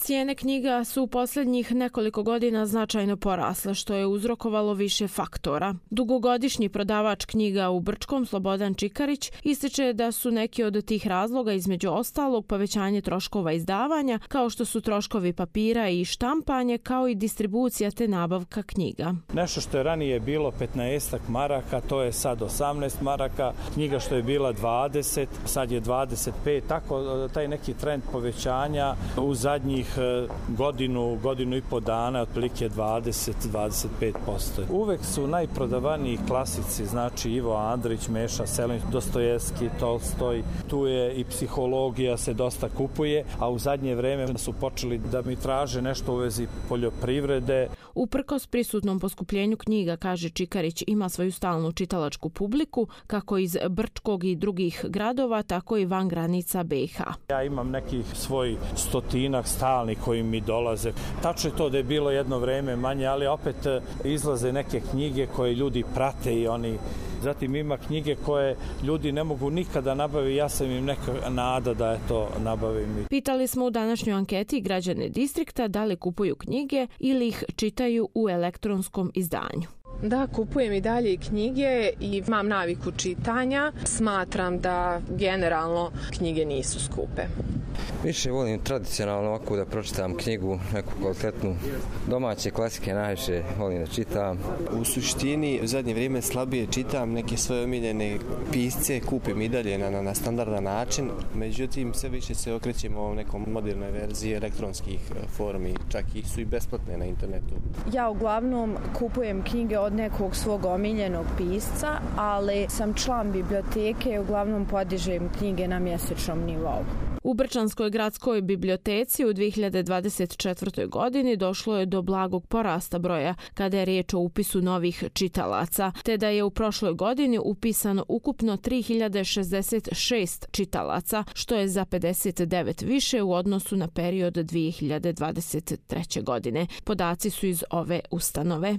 Cijene knjiga su u posljednjih nekoliko godina značajno porasle, što je uzrokovalo više faktora. Dugogodišnji prodavač knjiga u Brčkom, Slobodan Čikarić, ističe da su neki od tih razloga između ostalog povećanje troškova izdavanja, kao što su troškovi papira i štampanje, kao i distribucija te nabavka knjiga. Nešto što je ranije bilo 15 maraka, to je sad 18 maraka, knjiga što je bila 20, sad je 25, tako taj neki trend povećanja u zadnjih godinu i po dana, otprilike 20-25%. Uvek su najprodavaniji klasici, znači Ivo Andrić, Meša Selenić, Dostojevski, Tolstoj, tu je i psihologija se dosta kupuje, a u zadnje vreme su počeli da mi traže nešto u vezi poljoprivrede. Uprkos prisutnom poskupljenju knjiga, kaže Čikarić, ima svoju stalnu čitalačku publiku, kako iz Brčkog i drugih gradova, tako i van granica BiH. Ja imam nekih svoj 100 stalnih koji mi dolaze. Tačno je to da je bilo jedno vreme manje, ali opet izlaze neke knjige koje ljudi prate i oni. Zatim ima knjige koje ljudi ne mogu nikada nabaviti, ja sam im neka nada da je to nabavim. Pitali smo u današnjoj anketi građane distrikta da li kupuju knjige ili ih čitaju u elektronskom izdanju. Da, kupujem i dalje knjige i imam naviku čitanja. Smatram da generalno knjige nisu skupe. Više volim tradicionalno ovako da pročitam knjigu, neku kvalitetnu domaće klasike najviše volim da čitam. U suštini u zadnje vrijeme slabije čitam neke svoje omiljene pisce, kupim i dalje na standardan način, međutim sve više se okrećemo u nekom modernoj verziji elektronskih formi, čak i su i besplatne na internetu. Ja uglavnom kupujem knjige od nekog svog omiljenog pisca, ali sam član biblioteke i uglavnom podižem knjige na mjesečnom nivou. U Brčanskoj gradskoj biblioteci u 2024. godini došlo je do blagog porasta broja kada je riječ o upisu novih čitalaca, te da je u prošloj godini upisano ukupno 3066 čitalaca, što je za 59 više u odnosu na period 2023. godine. Podaci su iz ove ustanove.